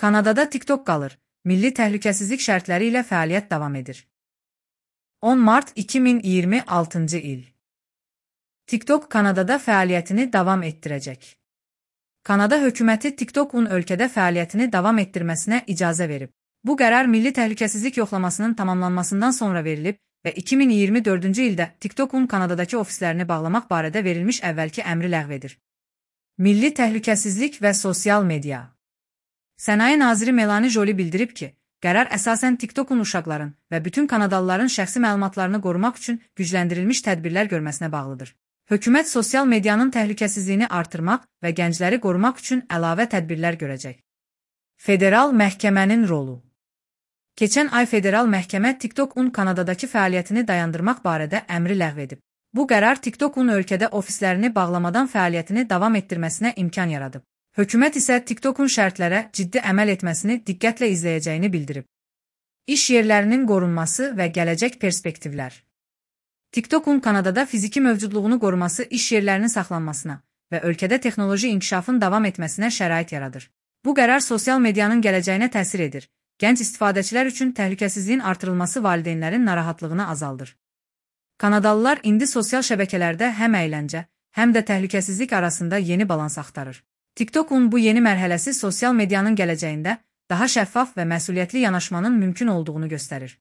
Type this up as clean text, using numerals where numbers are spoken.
Kanadada TikTok qalır. Milli təhlükəsizlik şərtləri ilə fəaliyyət davam edir. 10 mart 2026 il. TikTok Kanadada fəaliyyətini davam etdirəcək. Kanada hökuməti TikTok'un ölkədə fəaliyyətini davam etdirməsinə icazə verib. Bu qərar milli təhlükəsizlik yoxlamasının tamamlanmasından sonra verilib və 2024-cü ildə TikTok'un Kanadadakı ofislərini bağlamaq barədə verilmiş əvvəlki əmri ləğv edir. Milli təhlükəsizlik və sosial media. Sənaye naziri Melanie Joly bildirib ki, qərar əsasən TikTok'un uşaqların və bütün Kanadalıların şəxsi məlumatlarını qorumaq üçün gücləndirilmiş tədbirlər görməsinə bağlıdır. Hökumət sosial medianın təhlükəsizliyini artırmaq və gəncləri qorumaq üçün əlavə tədbirlər görəcək. Federal məhkəmənin rolu. Keçən ay federal məhkəmə TikTok'un Kanadadakı fəaliyyətini dayandırmaq barədə əmri ləğv edib. Bu qərar TikTok'un ölkədə ofislərini bağlamadan fəaliyyətini davam etdirməsinə imkan yaradıb. Hökumət isə TikTok'un şərtlərə ciddi əməl etməsini diqqətlə izləyəcəyini bildirib. İş yerlərinin qorunması və gələcək perspektivlər. TikTok'un Kanadada fiziki mövcudluğunu qoruması iş yerlərinin saxlanmasına və ölkədə texnoloji inkişafın davam etməsinə şərait yaradır. Bu qərar sosial medianın gələcəyinə təsir edir. Gənc istifadəçilər üçün təhlükəsizliyin artırılması valideynlərin narahatlığını azaldır. Kanadalılar indi sosial şəbəkələrdə həm əyləncə, həm də təhlükəsizlik arasında yeni balans axtarır. TikTok'un bu yeni mərhələsi sosial medianın gələcəyində daha şəffaf və məsuliyyətli yanaşmanın mümkün olduğunu göstərir.